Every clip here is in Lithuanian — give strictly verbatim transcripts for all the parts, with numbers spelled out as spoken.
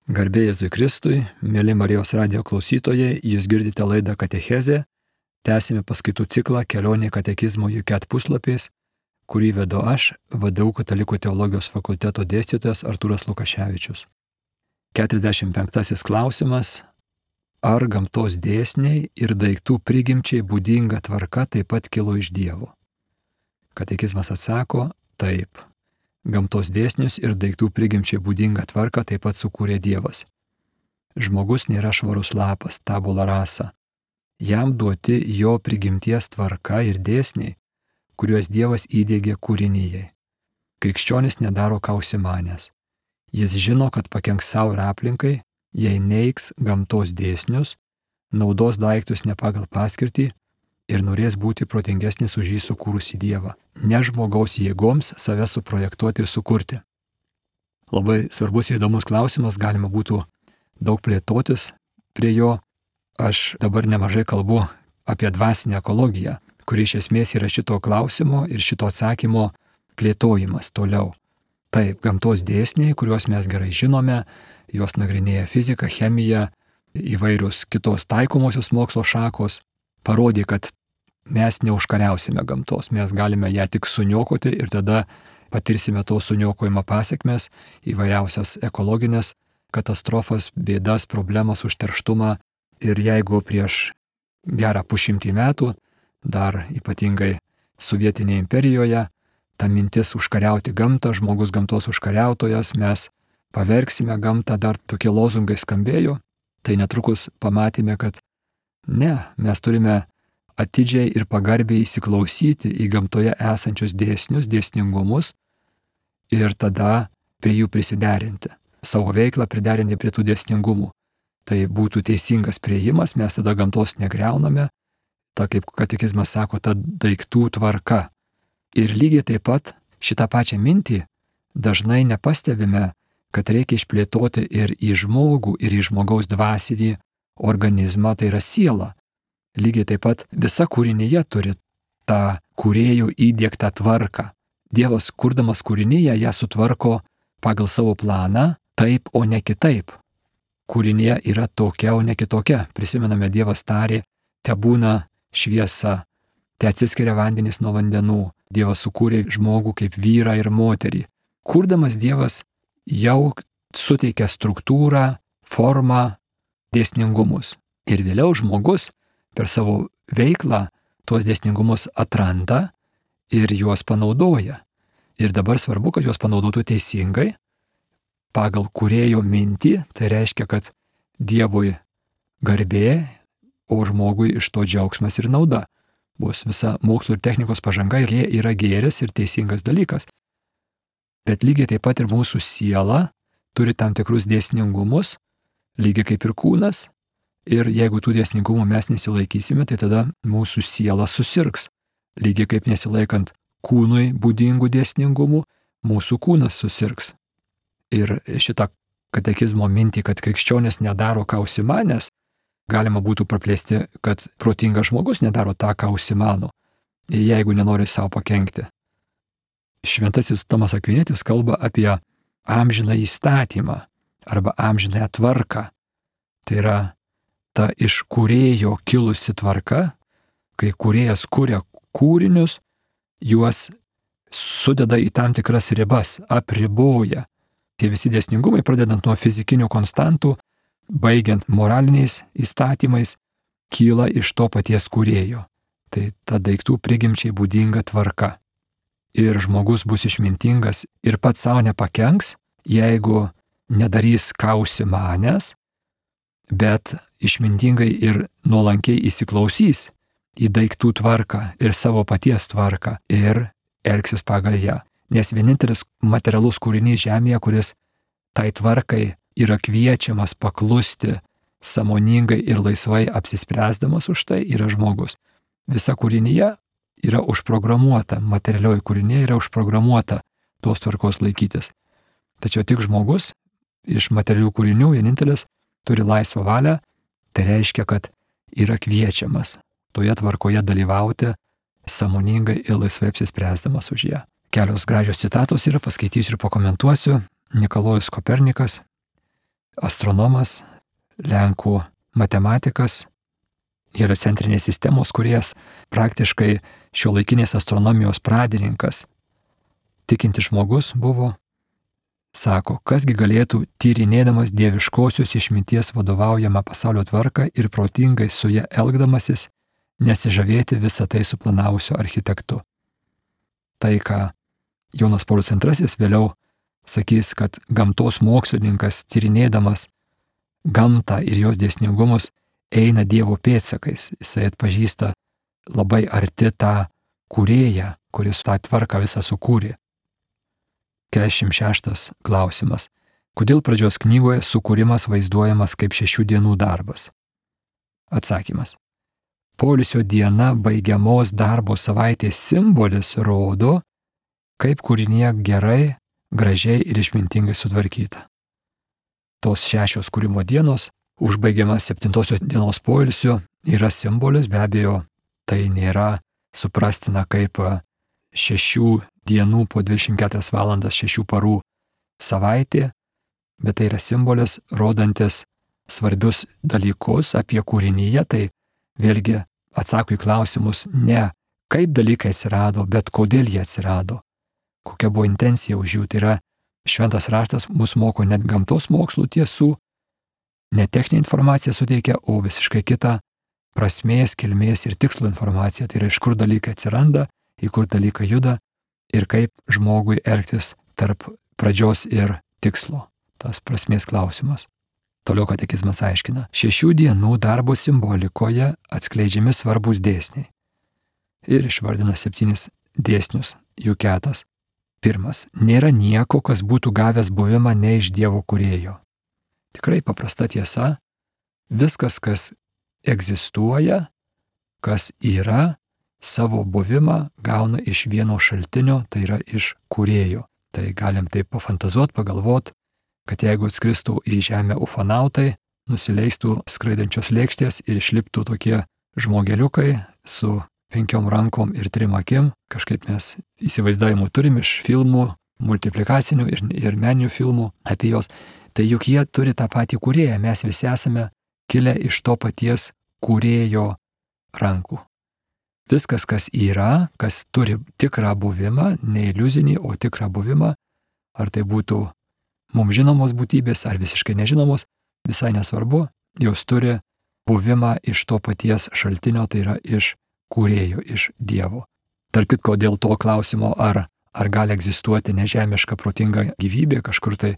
Garbė Jėzui Kristui, mėly Marijos radijo klausytojai, jūs girdite laidą Katechezė, tęsime paskaitų ciklą Kelionė katekizmo U K E T puslapiais, kurį vedu aš, V D U Katalikų teologijos fakulteto dėstytojas Artūras Lukaševičius. keturiasdešimt penktasis klausimas. Ar gamtos dėsniai ir daiktų prigimčiai būdinga tvarka taip pat kilo iš Dievo? Katekizmas atsako, taip. Gamtos dėsnius ir daiktų prigimčiai būdinga tvarka taip pat sukūrė Dievas. Žmogus nėra švarus lapas, tabula rasa. Jam duoti jo prigimties tvarka ir dėsniai, kuriuos Dievas įdiegė kūrinyjei. Krikščionis nedaro ką užsimanęs. Jis žino, kad pakenks savo ir aplinkai, jei neigs gamtos dėsnius, naudos daiktus ne pagal paskirtį ir norės būti protingesnis už jį sukūrusi Dievą, ne žmogaus jėgoms save suprojektuoti ir sukurti. Labai svarbus ir įdomus klausimas, galima būtų daug plėtotis prie jo. Aš dabar nemažai kalbu apie dvasinę ekologiją, kuri iš esmės yra šito klausimo ir šito atsakymo plėtojimas toliau. Taip, gamtos dėsniai, kuriuos mes gerai žinome, juos nagrinėja fizika, chemija, įvairius kitos taikomosios mokslo šakos, parodė, kad mes neužkariausime gamtos, mes galime ją tik suniokoti ir tada patirsime to suniokojimo pasiekmes, įvairiausias ekologinės katastrofas, bėdas, problemas, užterštumą. Ir jeigu prieš gerą pusšimtį metų, dar ypatingai sovietinėje imperijoje, ta mintis užkariauti gamtą, žmogus gamtos užkariautojas, mes pavergsime gamtą, dar tokie lozungai skambėjo, tai netrukus pamatėme, kad ne, mes turime atidžiai ir pagarbiai įsiklausyti į gamtoje esančius dėsnius, dėsningumus ir tada prie jų prisiderinti, savo veiklą priderinti prie tų dėsningumų. Tai būtų teisingas priėjimas, mes tada gamtos negriauname, ta kaip katekizmas sako, ta daiktų tvarka. Ir lygiai taip pat šitą pačią mintį dažnai nepastebime, kad reikia išplėtoti ir į žmogų, ir į žmogaus dvasinį organizmą, tai yra siela. Lygiai taip pat visa kūrinyje turi tą kūrėjų įdiegtą tvarką. Dievas, kurdamas kūrinyje, ją sutvarko pagal savo planą, taip, o ne kitaip. Kūrinyje yra tokia, o ne kitokia. Prisimename, Dievas tarė, te būna šviesa, te atsiskiria vandenys nuo vandenų. Dievas sukūrė žmogų kaip vyrą ir moterį. Kurdamas Dievas jau suteikia struktūrą, formą, dėsningumus. Ir vėliau žmogus per savo veiklą tuos dėsningumus atranda ir juos panaudoja. Ir dabar svarbu, kad juos panaudotų teisingai, pagal kūrėjo mintį, tai reiškia, kad Dievui garbė, o žmogui iš to džiaugsmas ir nauda. Bus visa mokslo ir technikos pažanga ir jie yra gėris ir teisingas dalykas. Bet lygiai taip pat ir mūsų siela turi tam tikrus dėsningumus, lygiai kaip ir kūnas. Ir jeigu tų dėsningumų mes nesilaikysime, tai tada mūsų siela susirgs. Lygiai kaip nesilaikant kūnui būdingų dėsningumų, mūsų kūnas susirgs. Ir šitą katekizmo mintį, kad krikščionis nedaro ką užsimanęs, galima būtų praplėsti, kad protingas žmogus nedaro tą, ką užsimano, jeigu nenori savo pakenkti. Šventasis Tomas Akvinietis kalba apie amžiną įstatymą arba amžinąją tvarką. Tai yra ta iš kūrėjo kilusi tvarka, kai kūrėjas kuria kūrinius, juos sudeda į tam tikras ribas, apriboja. Tie visi dėsningumai, pradedant nuo fizikinių konstantų, baigiant moraliniais įstatymais, kyla iš to paties kūrėjo. Tai ta daiktų prigimčiai būdinga tvarka. Ir žmogus bus išmintingas ir pats savo nepakenks, jeigu nedarys ką užsimanęs, bet išmintingai ir nuolankiai įsiklausys į daiktų tvarką ir savo paties tvarką ir elgsis pagal ją. Nes vienintelis materialus kūrinys žemėje, kuris tai tvarkai yra kviečiamas paklusti sąmoningai ir laisvai apsispręsdamas už tai, yra žmogus. Visa kūrinyje yra užprogramuota, materialioji kūrinyje yra užprogramuota tos tvarkos laikytis. Tačiau tik žmogus iš materialių kūrinių vienintelis turi laisvą valią, tai reiškia, kad yra kviečiamas toje tvarkoje dalyvauti sąmoningai ir laisvai apsispręsdamas už ją. Kelios gražios citatos yra, paskaitysiu ir pakomentuosiu. Nikolajus Kopernikas astronomas, lenkų matematikas, heliocentrinės sistemos kūrėjas, praktiškai šiuolaikinės astronomijos pradininkas, tikintis žmogus buvo, sako, kasgi galėtų tyrinėdamas dieviškosios išminties vadovaujamą pasaulio tvarką ir protingai su ja elgdamasis, nesižavėti visą tai suplanavusio architektu. Tai, ką Jonas Paulius antrasis vėliau sakys, kad gamtos mokslininkas tyrinėdamas gamtą ir jos dėsningumus eina Dievo pėdsakais. Jisai atpažįsta labai arti tą kūrėją, kuris tą tvarką visą sukūrė. keturiasdešimt šeštas klausimas. Kodėl pradžios knygoje sukūrimas vaizduojamas kaip šešių dienų darbas? Atsakymas. Poilsio diena baigiamos darbo savaitės simbolis rodo, kaip kūrinė gerai, gražiai ir išmintingai sutvarkyta. Tos šešios kūrimo dienos, užbaigiamas septintosios dienos poilsio, yra simbolis, be abejo, tai nėra suprastina kaip šešių dienų po dvidešimt keturias valandas, šešių parų savaitė, bet tai yra simbolis, rodantis svarbius dalykus apie kūrinyje, tai vėlgi atsako į klausimus ne kaip dalykai atsirado, bet kodėl jie atsirado, kokia buvo intencija už jų. Tai yra šventas raštas mus moko net gamtos mokslų tiesų, ne techninė informacija suteikia, o visiškai kitą prasmės, kilmės ir tikslo informaciją. Tai yra iš kur dalykai atsiranda, į kur dalykai juda ir kaip žmogui elgtis tarp pradžios ir tikslo. Tas prasmės klausimas. Toliau katekizmas aiškina, šešių dienų darbo simbolikoje atskleidžiami svarbus dėsniai. Ir išvardina septynis dėsnius, jų ketas. Pirmas, nėra nieko, kas būtų gavęs buvimą ne iš Dievo kūrėjo. Tikrai paprasta tiesa, viskas, kas egzistuoja, kas yra, savo buvimą gauna iš vieno šaltinio, tai yra iš kūrėjo. Tai galim taip pafantazuot, pagalvot, kad jeigu atskristų į žemę ufonautai, nusileistų skraidančios lėkštės ir išliptų tokie žmogeliukai su penkiom rankom ir trim akim, kažkaip mes įsivaizdavimų turim iš filmų, multiplikacinių ir, ir meninių filmų apie juos, tai juk jie turi tą patį kūrėją, mes visi esame kilę iš to paties kūrėjo rankų. Viskas, kas yra, kas turi tikrą buvimą, ne iliuzinį, o tikrą buvimą, ar tai būtų mums žinomos būtybės ar visiškai nežinomos, visai nesvarbu, jos turi buvimą iš to paties šaltinio, tai yra iš kūrėjo, iš Dievo. Tarp kitko, dėl to klausimo, ar, ar gali egzistuoti nežemiška protinga gyvybė kažkur tai,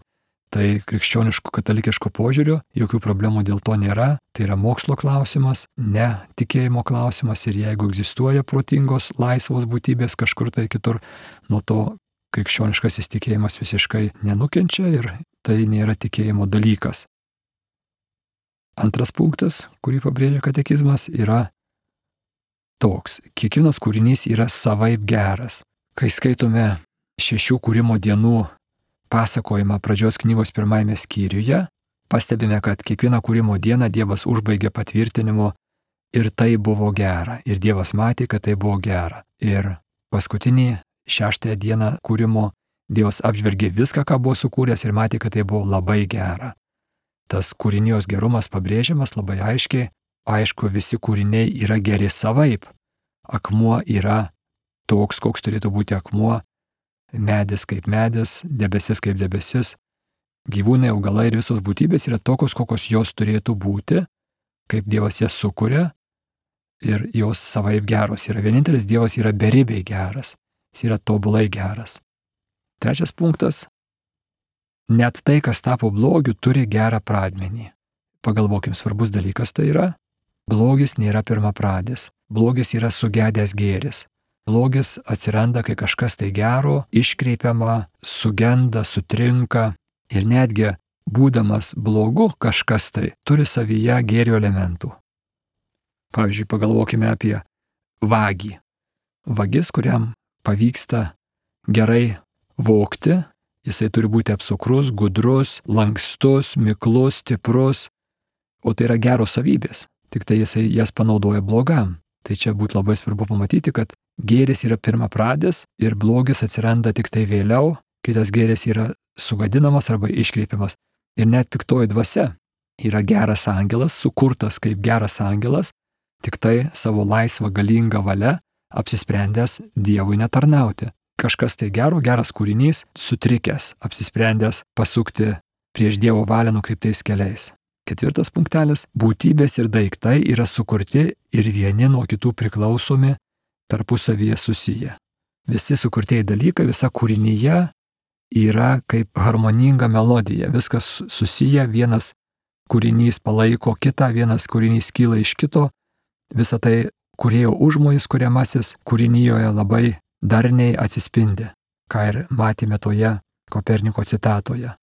tai krikščioniško katalikiško požiūriu jokių problemų dėl to nėra, tai yra mokslo klausimas, ne tikėjimo klausimas, ir jeigu egzistuoja protingos laisvos būtybės kažkur tai kitur, nuo to krikščioniškasis tikėjimas visiškai nenukenčia ir tai nėra tikėjimo dalykas. Antras punktas, kurį pabrėžia katekizmas, yra toks. Kiekvienas kūrinys yra savaip geras. Kai skaitome šešių kūrimo dienų pasakojimą pradžios knygos pirmajame skyriuje, pastebime, kad kiekvieną kūrimo dieną Dievas užbaigė patvirtinimu ir tai buvo gera. Ir Dievas matė, kad tai buvo gera. Ir paskutinį šeštąją dieną kūrimo Dievas apžvelgė viską, ką buvo sukūręs ir matė, kad tai buvo labai gera. Tas kūrinijos gerumas pabrėžiamas labai aiškiai. Aišku, visi kūriniai yra geri savaip. Akmuo yra toks, koks turėtų būti akmuo, medis kaip medis, debesis kaip debesis. Gyvūnai, augalai ir visos būtybės yra tokios, kokios jos turėtų būti, kaip Dievas jas sukuria, ir jos savaip geros yra. Vienintelis Dievas yra beribiai geras. Jis yra tobulai geras. Trečias punktas. Net tai, kas tapo blogiu, turi gerą pradmenį. Pagalvokim, svarbus dalykas tai yra. Blogis nėra pirmapradis. Blogis yra sugedęs gėris. Blogis atsiranda, kai kažkas tai gero, iškreipiama, sugenda, sutrinka. Ir netgi būdamas blogu kažkas tai turi savyje gėrio elementų. Pavyzdžiui, pagalvokime apie vagį. Vagis, kuriam pavyksta gerai vogti, jisai turi būti apsukrus, gudrus, lankstus, miklus, stiprus, o tai yra geros savybės, tik tai jisai jas panaudoja blogam. Tai čia būtų labai svarbu pamatyti, kad gėris yra pirmapradis ir blogis atsiranda tik tai vėliau, kitas gėris yra sugadinamas arba iškreipiamas. Ir net piktoji dvasia yra geras angelas, sukurtas kaip geras angelas, tik tai savo laisvą galingą valią apsisprendęs Dievui netarnauti. Kažkas tai gero, geras kūrinys, sutrikęs, apsisprendęs pasukti prieš Dievo valią nukreiptais keliais. Ketvirtas punktelis. Būtybės ir daiktai yra sukurti ir vieni nuo kitų priklausomi, tarpusavyje susiję. Visi sukurtieji dalykai, visa kūrinyje yra kaip harmoninga melodija. Viskas susiję, vienas kūrinys palaiko kitą, vienas kūrinys kyla iš kito. Visa tai kūrėjo užmojis kuriamasis kūrinyjoje labai darniai atsispindi, ką ir matėme toje Koperniko citatoje.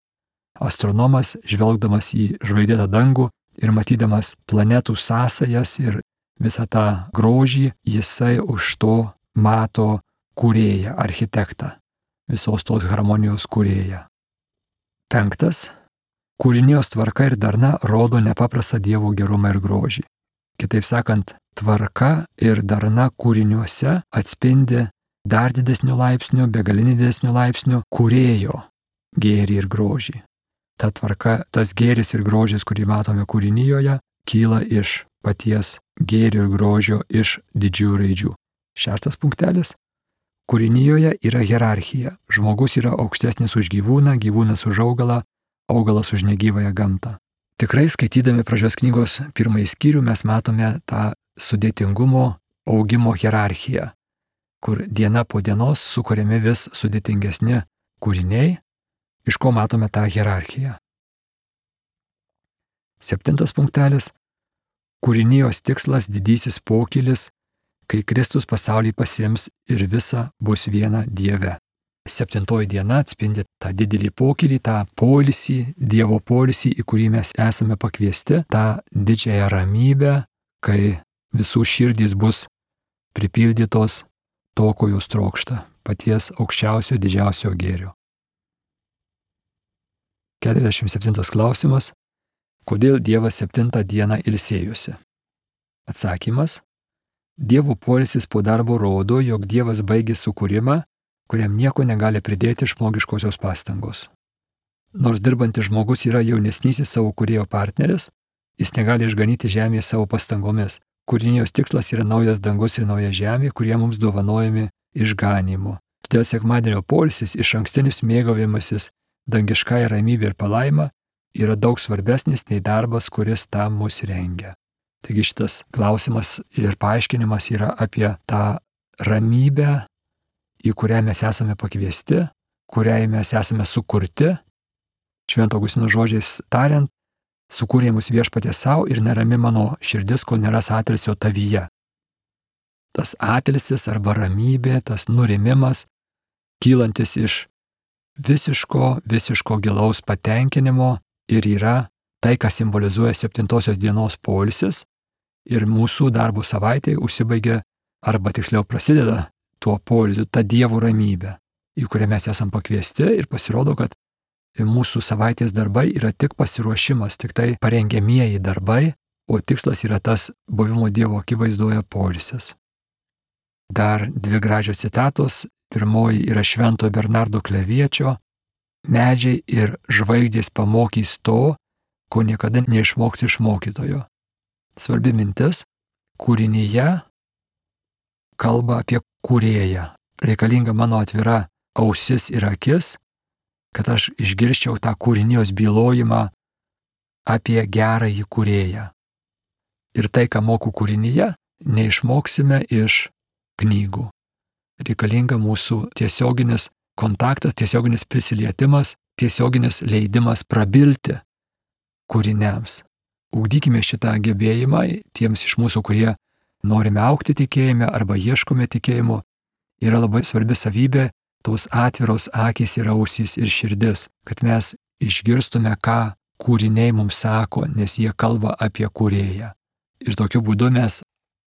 Astronomas, žvelgdamas į žvaigždėtą dangų ir matydamas planetų sąsajas ir visą tą grožį, jisai už to mato kūrėją, architektą, visos tos harmonijos kūrėją. Penktas. Kūrinijos tvarka ir darna rodo nepaprastą Dievo gerumą ir grožį. Kitaip sakant, tvarka ir darna kūriniuose atspindi dar didesnių laipsnių, begalinį didesnių laipsnių kūrėjo gėrį ir grožį. Ta tvarka, tas gėris ir grožis, kurį matome kūrinijoje, kyla iš paties gėrio ir grožio, iš didžiųjų raidžių. Šeštas punktelis. Kūrinijoje yra hierarchija. Žmogus yra aukštesnis už gyvūną, gyvūnas už augalą, augalas už negyvąją gamtą. Tikrai skaitydami pradžios knygos pirmąjį skyrių mes matome tą sudėtingumo augimo hierarchiją, kur diena po dienos sukuriami vis sudėtingesni kūriniai, iš ko matome tą hierarchiją. Septintas punktelis. Kūrinijos tikslas didysis pokylis, kai Kristus pasaulį pasiims ir visa bus viena Dieve. Septintoji diena atspindi tą didelį pokylį, tą poilsį, Dievo poilsį, į kurį mes esame pakviesti, tą didžiąją ramybę, kai visų širdys bus pripildytos to, ko jos trokšta, paties aukščiausio didžiausio gėrio. keturiasdešimt septintas klausimas. Kodėl Dievas septintą dieną ilsėjosi? Atsakymas. Dievo poilsis po darbo rodo, jog Dievas baigė sukūrimą, kuriam nieko negali pridėti žmogiškosios pastangos. Nors dirbantis žmogus yra jaunesnysis savo kūrėjo partneris, jis negali išganyti žemėje savo pastangomis. Kūrinijos tikslas yra naujas dangus ir nauja žemė, kurie mums dovanojami išganymu. Todėl sekmadienio poilsis, iš ankstinis mėgavimasis dangiškąja ramybė ir palaima yra daug svarbesnis nei darbas, kuris tam mus rengia. Taigi šitas klausimas ir paaiškinimas yra apie tą ramybę, į kurią mes esame pakviesti, kuriai mes esame sukurti. Švento Augustino žodžiais tariant, sukūrė mus viešpaties savo ir nerami mano širdis, kol neras atilsio tavyje. Tas atilsis arba ramybė, tas nurimimas, kylantis iš visiško, visiško gilaus patenkinimo ir yra tai, kas simbolizuoja septintosios dienos poilsis ir mūsų darbo savaitė užsibaigia arba tiksliau prasideda tuo poilsiu, ta Dievo ramybė, į kurią mes esam pakviesti ir pasirodo, kad mūsų savaitės darbai yra tik pasiruošimas, tik tai parengiamieji darbai, o tikslas yra tas buvimo Dievo akivaizdoje poilsis. Dar dvi gražios citatos. Pirmoji yra Švento Bernardo Kleviečio. Medžiai ir žvaigždės pamokys to, ko niekada neišmoks iš mokytojo. Svarbi mintis. Kūrinyje kalba apie kūrėją. Reikalinga mano atvira ausis ir akis, kad aš išgirščiau tą kūrinijos bylojimą apie gerąjį kūrėją. Ir tai, ką moku kūrinyje, neišmoksime iš knygų. Reikalinga mūsų tiesioginis kontaktas, tiesioginis prisilietimas, tiesioginis leidimas prabilti kūriniams. Ugdykime šitą gebėjimą tiems iš mūsų, kurie norime augti tikėjime arba ieškome tikėjimo. Yra labai svarbi savybė tos atviros akys ir ausys ir širdis, kad mes išgirstume, ką kūriniai mums sako, nes jie kalba apie kūrėją. Ir tokiu būdu mes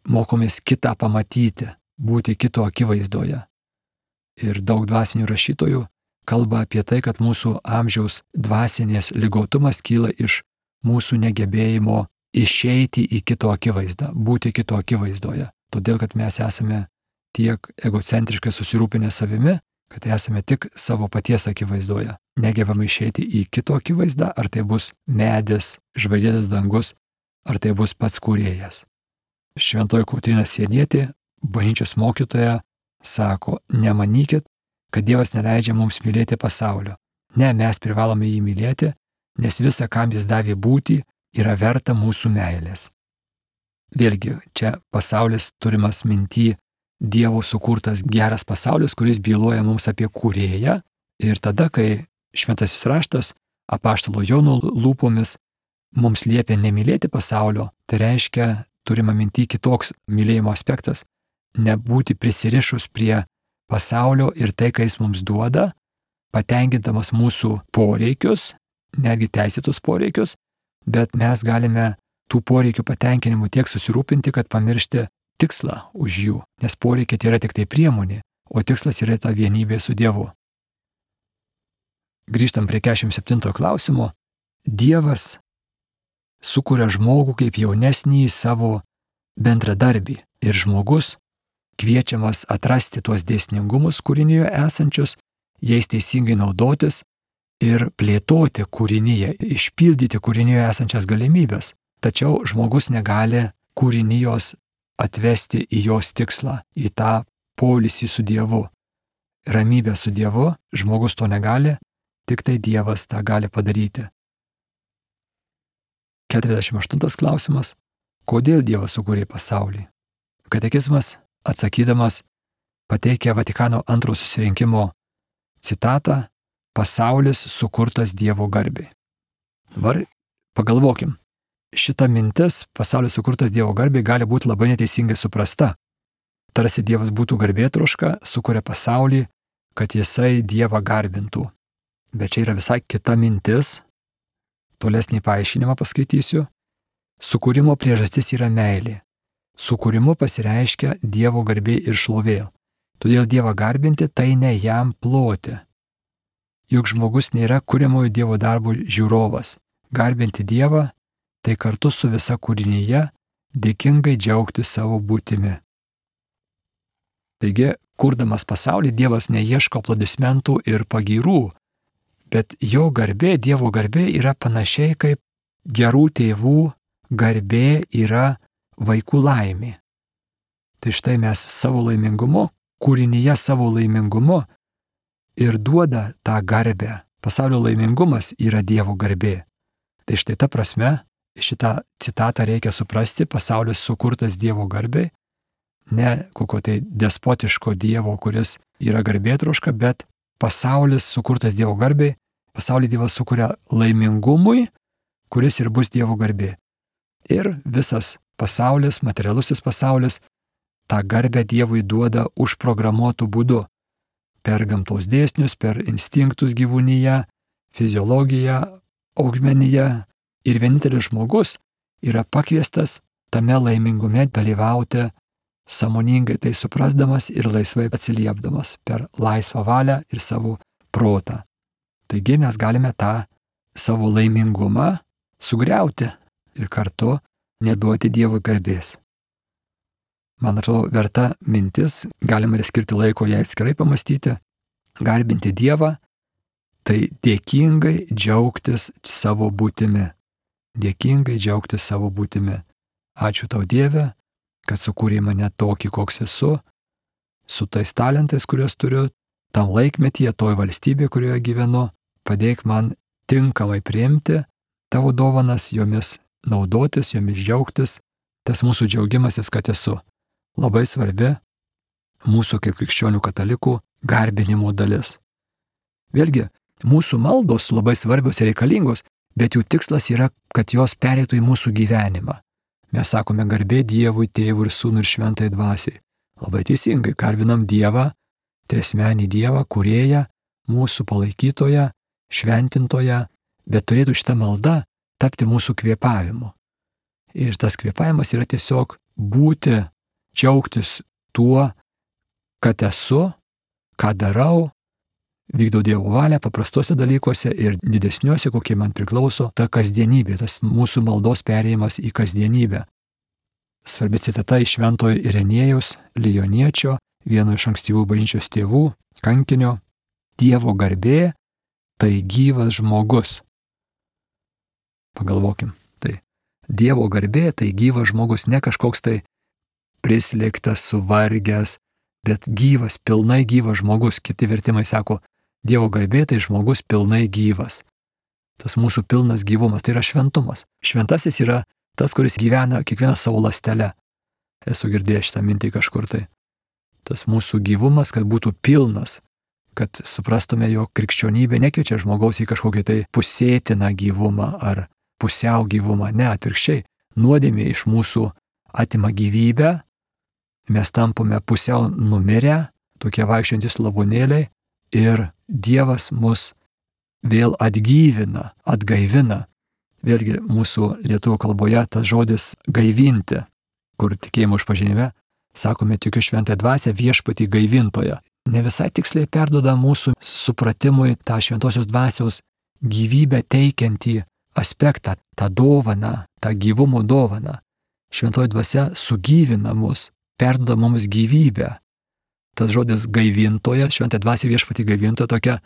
mokomės kitą pamatyti, būti kito akivaizdoje. Ir daug dvasinių rašytojų kalba apie tai, kad mūsų amžiaus dvasinės ligotumas kyla iš mūsų negebėjimo išeiti į kito akivaizdą, būti kito akivaizdoje. Todėl, kad mes esame tiek egocentriškai susirūpinę savimi, kad esame tik savo paties akivaizdoje. negebame išeiti į kito akivaizdą, ar tai bus medis, žvaigždėtas dangus, ar tai bus pats kūrėjas. Šventoji Kotryna Sienietė, bažnyčios mokytoja, sako, nemanykit, kad Dievas neleidžia mums mylėti pasaulio. Ne, mes privalome jį mylėti, nes visa, kam jis davė būti, yra verta mūsų meilės. Vėlgi, čia pasaulis turimas minty Dievo sukurtas geras pasaulis, kuris byloja mums apie kūrėją. Ir tada, kai šventasis raštas apaštalo Jono lūpomis mums liepia nemylėti pasaulio, tai reiškia, turima minty kitoks mylėjimo aspektas - nebūti prisirišus prie pasaulio ir tai, ką jis mums duoda, patenkindamas mūsų poreikius, netgi teisėtus poreikius, bet mes galime tų poreikių patenkinimu tiek susirūpinti, kad pamiršti tikslą už jų, nes poreikiai tai yra tik tai priemonė, o tikslas yra ta vienybė su Dievu. Grįžtam prie keturiasdešimt septintojo klausimo. Dievas sukuria žmogų kaip jaunesnį savo bendradarbį ir žmogus kviečiamas atrasti tuos dėsningumus kūrinyje esančius, jais teisingai naudotis ir plėtoti kūrinyje, išpildyti kūrinyje esančias galimybės. Tačiau žmogus negali kūrinijos atvesti į jos tikslą, į tą poilsį su Dievu. Ramybę su Dievu žmogus to negali, tik tai Dievas tą gali padaryti. keturiasdešimt aštuntas klausimas. Kodėl Dievas sukūrė pasaulį? Katekizmas, atsakydamas, pateikia Vatikano antrojo susirinkimo citatą: pasaulis sukurtas Dievo garbei. Dabar pagalvokim. Šita mintis, pasaulis sukurtas Dievo garbei, gali būti labai neteisingai suprasta. Tarsi Dievas būtų garbėtroška, sukuria pasaulį, kad jisai Dievą garbintų. Bet čia yra visai kita mintis. Tolesnį paaiškinimą paskaitysiu. Sukūrimo priežastis yra meilė. Sukūrimu pasireiškia Dievo garbė ir šlovė. Todėl Dievą garbinti tai ne jam ploti. Juk žmogus nėra kuriamojo Dievo darbo žiūrovas. Garbinti Dievą tai kartu su visa kūrinyje dėkingai džiaugti savo būtimi. Taigi, kurdamas pasaulį, Dievas neieško aplodismentų ir pagyrų, bet jo garbė, Dievo garbė yra panašiai kaip gerų tėvų garbė yra vaikų laimė. Tai štai mes savo laimingumu, kūrinyje savo laimingumu ir duoda tą garbę. Pasaulio laimingumas yra Dievo garbė. Tai štai ta prasme, šitą citatą reikia suprasti, pasaulis sukurtas Dievo garbei, ne kokio tai despotiško Dievo, kuris yra garbėtroška, bet pasaulis sukurtas Dievo garbei, pasaulį Dievas sukuria laimingumui, kuris ir bus Dievo garbė. Ir visas pasaulis, materialusis pasaulis, tą garbę Dievui duoda užprogramuotų būdu. Per gamtos dėsnius, per instinktus gyvūnyje, fiziologiją, augmeniją. Ir vienintelis žmogus yra pakviestas tame laimingume dalyvauti sąmoningai tai suprasdamas ir laisvai atsiliepdamas per laisvą valią ir savo protą. Taigi mes galime tą savo laimingumą sugriauti ir kartu neduoti Dievui garbės. Man atrodo, verta mintis, galima ir skirti laiko ją atskirai pamastyti, garbinti Dievą, tai dėkingai džiaugtis savo būtimi. Dėkingai džiaugtis savo būtimi. Ačiū tau, Dieve, kad sukūrei mane tokį, koks esu, su tais talentais, kuriuos turiu, tam laikmetyje, toj valstybėje, kurioje gyvenu, padėk man tinkamai priimti tavo dovanas, jomis naudotis, jomis džiaugtis, tas mūsų džiaugimasis, kad esu. Labai svarbi mūsų kaip krikščionių katalikų garbinimo dalis. Vėlgi, mūsų maldos labai svarbios ir reikalingos, bet jų tikslas yra, kad jos pereitų į mūsų gyvenimą. Mes sakome garbė Dievui, Tėvui ir Sūnui ir Šventai Dvasiai. Labai teisingai, garbinam Dievą, triasmenį Dievą, kūrėją, mūsų palaikytoją, šventintoją, bet turėtų šitą maldą tapti mūsų kvėpavimu. Ir tas kvėpavimas yra tiesiog būti, džiaugtis tuo, kad esu, ką darau, vykdau Dievo valią paprastuose dalykuose ir didesniuose, kokie man priklauso, ta kasdienybė, tas mūsų maldos perėjimas į kasdienybę. Svarbi citata iš šventojo Irenėjaus Lijoniečio, vieno iš ankstyvų bažnyčios tėvų, kankinio: Dievo garbė tai gyvas žmogus. Pagalvokim, tai Dievo garbė tai gyvas žmogus, ne kažkoks tai prislėgtas, suvargęs, bet gyvas, pilnai gyvas žmogus. Kiti vertimai sako, Dievo garbė tai žmogus pilnai gyvas. Tas mūsų pilnas gyvumas, tai yra šventumas. Šventasis yra tas, kuris gyvena kiekvieną savo ląstelę. Esu girdėjęs šitą mintį kažkur tai. Tas mūsų gyvumas, kad būtų pilnas, kad suprastume, jog krikščionybė nekviečia žmogaus į kažkokį tai pusėtiną gyvumą ar pusiau gyvumą. Ne, atvirkščiai, nuodėmė iš mūsų atima gyvybę, mes tampame pusiau numirę, tokie vaikščiantys lavonėliai, ir Dievas mus vėl atgyvina, atgaivina. Vėlgi mūsų lietuvių kalboje tas žodis gaivinti, kur tikėjimo išpažinime sakome, tikiu šventąją dvasią viešpatį gaivintoją. Ne visai tiksliai perduoda mūsų supratimui tą šventosios dvasios gyvybę teikiantį aspektą, tą dovaną, tą gyvumo dovaną. Šventoji dvasia sugyvina mus, perduoda mums gyvybę. Tas žodis gaivintoja, šventąją dvasią viešpatį gaivintoja, tokia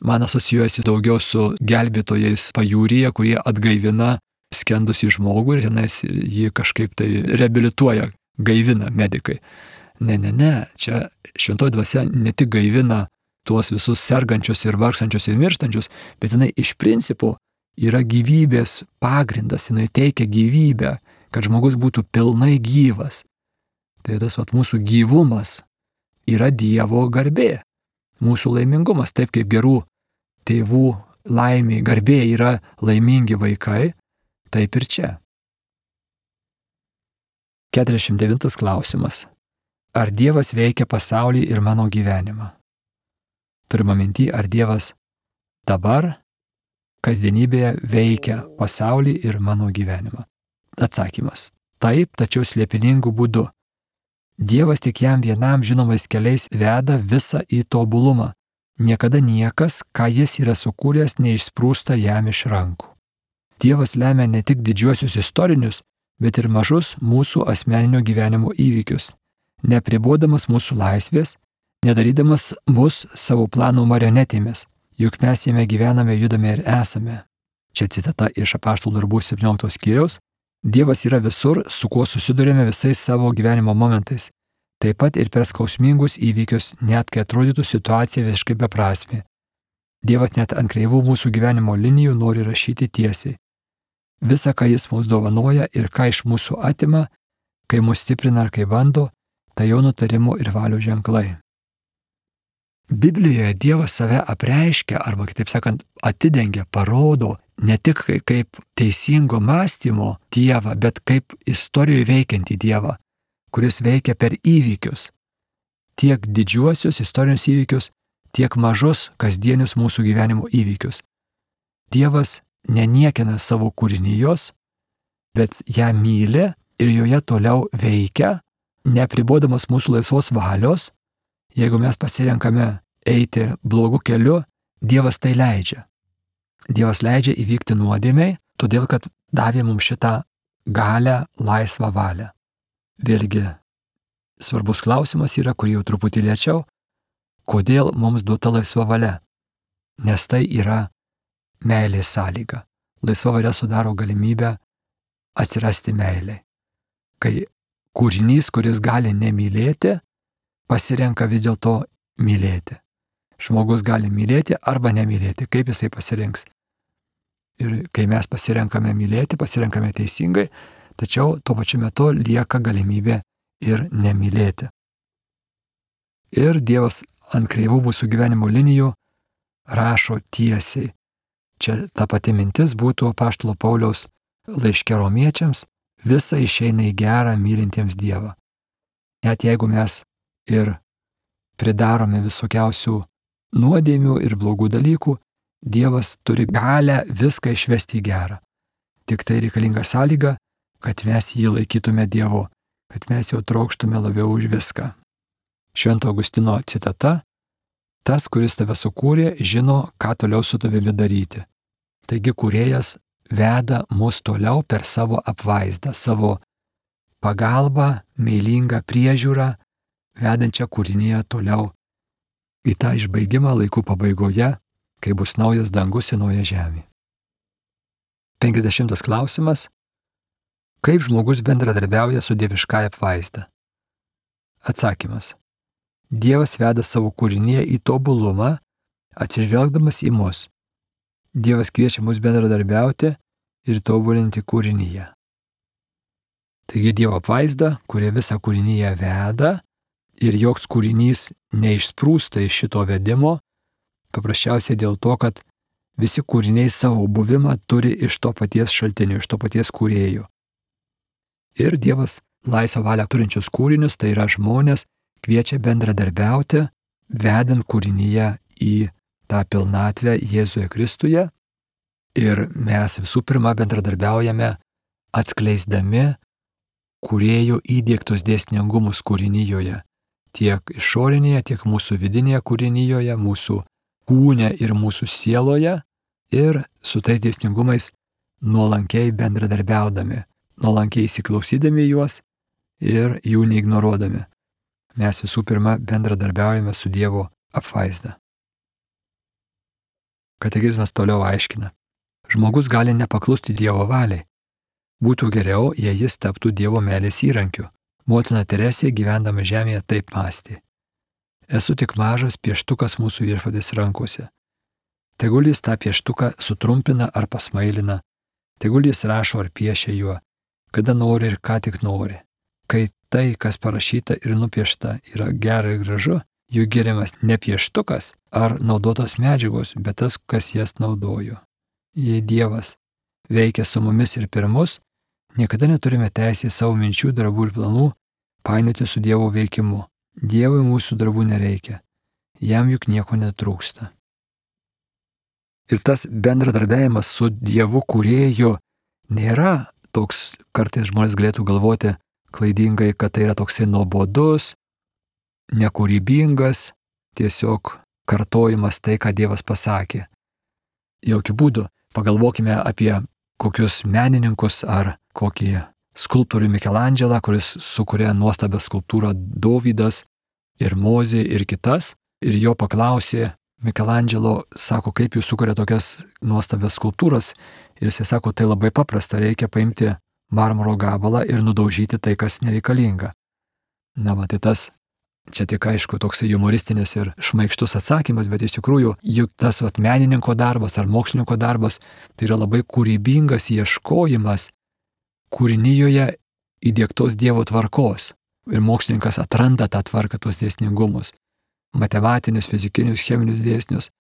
man asocijuojasi daugiau su gelbėtojais pajūryje, kurie atgaivina skendusį žmogų ir tenais jį kažkaip tai reabilituoja, gaivina medikai. Ne, ne, ne, čia šventoji dvasia ne tik gaivina tuos visus sergančius ir vargstančius ir mirštančius, bet jinai iš principo yra gyvybės pagrindas, jinai teikia gyvybę, kad žmogus būtų pilnai gyvas. Tai tas vat, mūsų gyvumas yra Dievo garbė, mūsų laimingumas, taip kaip gerų tėvų laimė, garbė yra laimingi vaikai, taip ir čia. keturiasdešimt devintas klausimas. Ar Dievas veikia pasaulį ir mano gyvenimą? Turime minty, ar Dievas dabar kasdienybėje veikia pasaulį ir mano gyvenimą? Atsakymas. Taip, tačiau slėpiningų būdų. Dievas tik jam vienam žinomais keliais veda visą į tobulumą. Niekada niekas, ką jis yra sukūręs, neišsprūsta jam iš rankų. Dievas lemia ne tik didžiuosius istorinius, bet ir mažus mūsų asmeninio gyvenimo įvykius, neapribodamas mūsų laisvės, nedarydamas mus savo planų marionetėmis, juk mes jame gyvename, judame ir esame. Čia citata iš Apaštalų darbų septyniolikto skyriaus. Dievas yra visur, su kuo susidurėme visais savo gyvenimo momentais. Taip pat ir per skausmingus įvykius, net kai atrodytų situacija visiškai beprasmė. Dievas net ant kreivų mūsų gyvenimo linijų nori rašyti tiesiai. Visa, ką jis mums dovanoja ir ką iš mūsų atima, kai mus stiprina ar kai bando, tai jo nutarimo ir valios ženklai. Biblijoje Dievas save apreiškia, arba kitaip sakant, atidengia, parodo ne tik kaip teisingo mąstymo Dievą, bet kaip istorijoje veikiantį Dievą, kuris veikia per įvykius. Tiek didžiuosius istorinius įvykius, tiek mažus kasdienius mūsų gyvenimo įvykius. Dievas neniekina savo kūrinijos, bet ją myli ir joje toliau veikia, neapribodamas mūsų laisvos valios. Jeigu mes pasirenkame eiti blogu keliu, Dievas tai leidžia. Dievas leidžia įvykti nuodėmei, todėl kad davė mums šitą galią, laisvą valią. Vėlgi, svarbus klausimas yra, kurį jau truputį lėčiau, kodėl mums duota laisva valia? Nes tai yra meilės sąlyga. Laisva valia sudaro galimybę atsirasti meiliai. Kai kūrinys, kuris gali nemylėti, pasirenka vis dėlto mylėti. Žmogus gali mylėti arba nemylėti, kaip jisai pasirinks. Ir kai mes pasirenkame mylėti, pasirenkame teisingai, tačiau tuo pačiu metu lieka galimybė ir nemylėti. Ir Dievas ant kreivų mūsų gyvenimo linijų rašo tiesiai. Čia ta pati mintis būtų apaštalo Pauliaus laiške romiečiams, visa išeina į gerą mylintiems Dievą. Net jeigu mes ir pridarome visokiausių nuodėmių ir blogų dalykų, Dievas turi galę viską išvesti į gerą. Tik tai reikalinga sąlyga, kad mes jį laikytume Dievu, kad mes jau trokštume labiau už viską. Švento Augustino citata: tas, kuris tave sukūrė, žino, ką toliau su tavimi daryti. Taigi kūrėjas veda mus toliau per savo apvaizdą, savo pagalbą, meilingą priežiūrą, vedančią kūrinyje toliau į tą išbaigimą laikų pabaigoje, kai bus naujas dangus ir nauja žemė. penkiasdešimtas klausimas. Kaip žmogus bendradarbiauja su dieviškąja apvaizda? Atsakymas. Dievas veda savo kūrinyje į tobulumą, atsižvelgdamas į mus. Dievas kviečia mus bendradarbiauti ir tobulinti kūrinyje. Taigi Dievo apvaizda, kurie visą kūrinyje veda ir joks kūrinys neišsprūsta iš šito vedimo, paprasčiausiai dėl to, kad visi kūriniai savo buvimą turi iš to paties šaltinio, iš to paties kūrėjo. Ir Dievas laisvą valią turinčius kūrinius, tai yra žmonės, kviečia bendradarbiauti, vedant kūrinyje į tą pilnatvę Jėzuje Kristuje. Ir mes visų pirma bendradarbiaujame atskleisdami kūrėjo įdiegtus dėsningumus kūrinyjoje. Tiek išorinėje, tiek mūsų vidinėje kūrinyjoje, mūsų kūne ir mūsų sieloje. Ir su tais dėsningumais nuolankiai bendradarbiaudami, nuolankiai įsiklausydami juos ir jų neignoruodami. Mes visų pirma bendradarbiaujame su Dievo apvaizda. Katekizmas toliau aiškina. Žmogus gali nepaklusti Dievo valiai. Būtų geriau, jei jis taptų Dievo meilės įrankiu. Motina Teresė gyvendama žemėje taip mąstė. Esu tik mažas pieštukas mūsų Viešpaties rankose. Tegul jis tą pieštuką sutrumpina ar pasmailina, tegul jis rašo ar piešia juo, kada nori ir ką tik nori. Kai tai, kas parašyta ir nupiešta, yra gera ir gražu, juk geriamas ne pieštukas ar naudotos medžiagos, bet tas, kas jas naudojo. Jei Dievas veikia su mumis ir per mus, niekada neturime teisės savo minčių, darbų ir planų painioti su Dievo veikimu. Dievui mūsų darbų nereikia, jam juk nieko netrūksta. Ir tas bendradarbiavimas su Dievu kūrėju nėra toks, kartais žmonės galėtų galvoti klaidingai, kad tai yra toksai nuobodus, nekūrybingas, tiesiog kartojimas tai, ką Dievas pasakė. Jokių būdų. Pagalvokime apie kokius menininkus ar kokį skulptorių Mikelandželą, kuris sukuria nuostabią skulptūrą Dovydas ir Mozė ir kitas, ir jo paklausė Mikelandželo, sako, kaip jūs sukuria tokias nuostabias skulptūras, ir jis sako, tai labai paprasta, reikia paimti marmuro gabalą ir nudaužyti tai, kas nereikalinga. Na, va, tai tas, čia tik aišku, toksai humoristinis ir šmaikštus atsakymas, bet iš tikrųjų, juk tas vat, menininko darbas ar mokslininko darbas, tai yra labai kūrybingas ieškojimas kūrinyjoje įdiegtos Dievo tvarkos. Ir mokslininkas atranda tą tvarką, tos dėsningumus. Matematinius, fizikinius, cheminius dėsnius.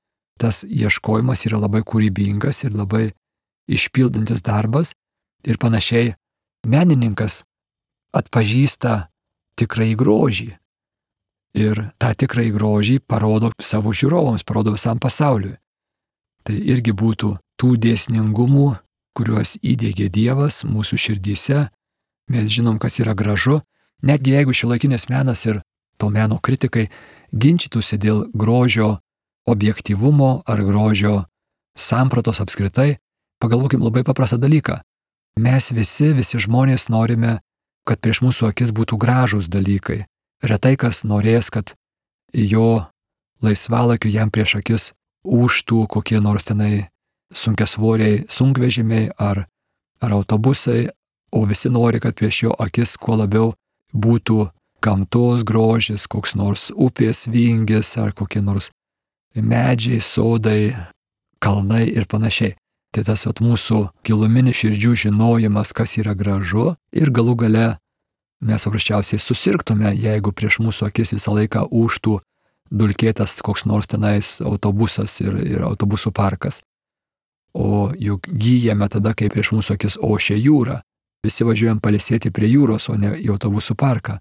Tas ieškojimas yra labai kūrybingas ir labai išpildantis darbas. Ir panašiai menininkas atpažįsta tikrąjį grožį. Ir tą tikrąjį grožį parodo savo žiūrovams, parodo visam pasauliui. Tai irgi būtų tų dėsningumų, kuriuos įdiegė Dievas mūsų širdyse. Mes žinom, kas yra gražu. Netgi jeigu šiuolaikinis menas ir to meno kritikai ginčytųsi dėl grožio objektyvumo ar grožio sampratos apskritai, pagalvokim labai paprastą dalyką. Mes visi, visi žmonės norime, kad prieš mūsų akis būtų gražūs dalykai. Retai kas norės, kad jo laisvalaikiu jam prieš akis ūžtų kokie nors tenai sunkiasvoriai sunkvežimiai ar, ar autobusai, o visi nori, kad prieš jo akis kuo labiau būtų gamtos grožis, koks nors upės vingis ar kokie nors medžiai, sodai, kalnai ir panašiai. Tai tas at, mūsų giluminis širdžių žinojimas, kas yra gražu, ir galų gale mes paprasčiausiai susirgtume, jeigu prieš mūsų akis visą laiką ūžtų dulkėtas koks nors tenais autobusas ir, ir autobusų parkas. O juk gyjame tada, kai prieš mūsų akis ošia jūra. Visi važiuojam pailsėti prie jūros, o ne į autobusų parką.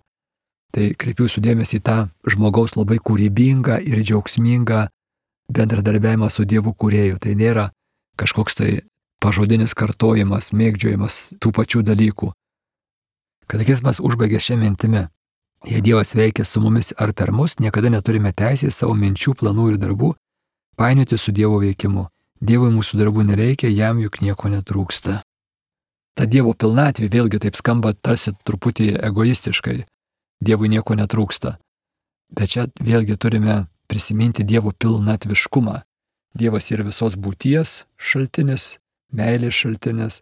Tai kreipiu jūsų dėmesį į tą žmogaus labai kūrybingą ir džiaugsmingą bendradarbiavimą su Dievu kūrėju. Tai nėra kažkoks tai pažodinis kartojimas, mėgdžiojimas tų pačių dalykų. Katekizmas užbaigė šią mintimį. Jei Dievas veikia su mumis ar per mus, niekada neturime teisės savo minčių, planų ir darbų painioti su Dievo veikimu. Dievui mūsų darbų nereikia, jam juk nieko netrūksta. Ta Dievo pilnatvė vėlgi taip skamba tarsi truputį egoistiškai. Dievui nieko netrūksta. Bet čia vėlgi turime prisiminti Dievo pilnatviškumą. Dievas yra visos būties šaltinis, meilės šaltinis,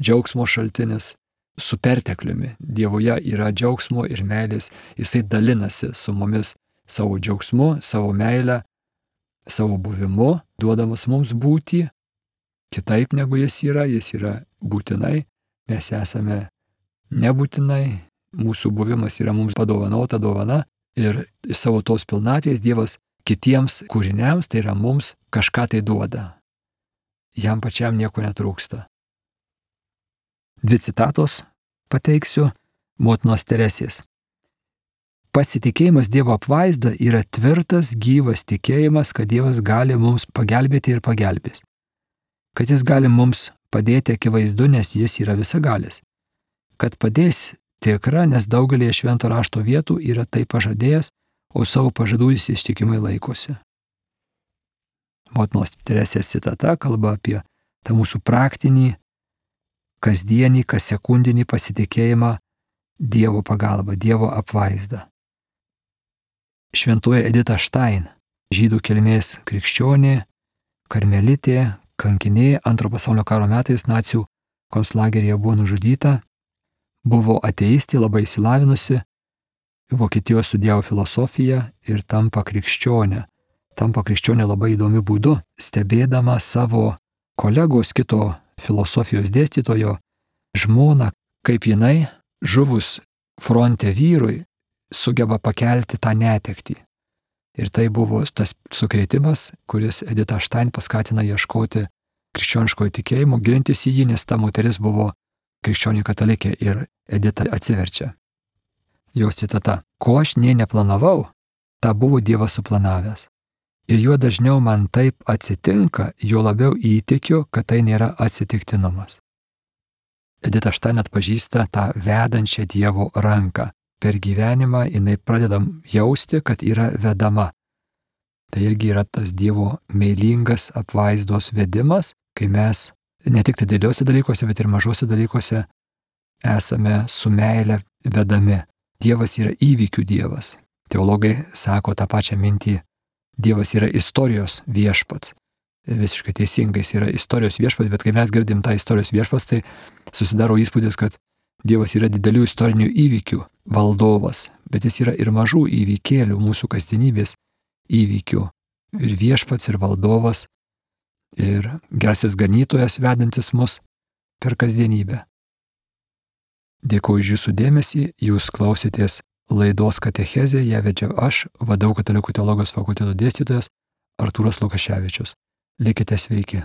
džiaugsmo šaltinis, su pertekliumi. Dievoje yra džiaugsmo ir meilės, jisai dalinasi su mumis savo džiaugsmu, savo meilę, savo buvimu, duodamas mums būti kitaip negu jis yra, jis yra būtinai, mes esame nebūtinai, mūsų buvimas yra mums padovanota dovana ir iš savo tos pilnatvės Dievas kitiems kūriniams, tai yra mums, kažką tai duoda. Jam pačiam nieko netrūksta. Dvi citatos pateiksiu motinos Teresės. Pasitikėjimas Dievo apvaizda yra tvirtas, gyvas tikėjimas, kad Dievas gali mums pagelbėti ir pagelbės. Kad jis gali mums padėti akivaizdu, nes jis yra visagalis. Kad padės tikra, nes daugelį švento rašto vietų yra tai pažadėjęs, o savo pažadų jis ištikimai laikosi. Motinos Teresės citata kalba apie tą mūsų praktinį, kasdienį, kas sekundinį pasitikėjimą Dievo pagalba, Dievo apvaizda. Šventoji Edita Stein, žydų kilmės krikščionė, karmelitė, kankinė, antro pasaulinio karo metais nacių konclageryje buvo nužudyta, buvo ateistė, labai išsilavinusi, Vokietijoje studijavo filosofiją ir tampa krikščionė. Tampa krikščionė labai įdomiu būdu, stebėdama savo kolegos kito filosofijos dėstytojo žmoną, kaip jinai, žuvus fronte vyrui, sugeba pakelti tą netektį. Ir tai buvo tas sukrėtimas, kuris Edita Stein paskatina ieškoti krikščioniškojo tikėjimo, gilintis į jį, nes ta moteris buvo krikščionė katalikė ir Edita atsiverčia. Jos citata: ko aš nė neplanavau, tą buvo Dievas suplanavęs. Ir juo dažniau man taip atsitinka, juo labiau įtikiu, kad tai nėra atsitiktinumas. Edita Stein atpažįsta tą vedančią Dievo ranką. Per gyvenimą jinai pradeda jausti, kad yra vedama. Tai irgi yra tas Dievo meilingas apvaizdos vedimas, kai mes ne tik dideliuose dalykuose, bet ir mažuose dalykuose esame su meile vedami. Dievas yra įvykių Dievas. Teologai sako tą pačią mintį. Dievas yra istorijos viešpats. Visiškai teisingai jis yra istorijos viešpats, bet kai mes girdim tą istorijos viešpats, tai susidaro įspūdis, kad Dievas yra didelių istorinių įvykių valdovas, bet jis yra ir mažų įvykėlių, mūsų kasdienybės įvykių. Ir viešpats, ir valdovas, ir gerasis ganytojas vedantis mus per kasdienybę. Dėkuoju už jūsų dėmesį, jūs klausėtės laidos Katechezė, ją vedžiau aš, V D U Katalikų teologijos fakulteto dėstytojas Artūras Lukaševičius. Likite sveiki.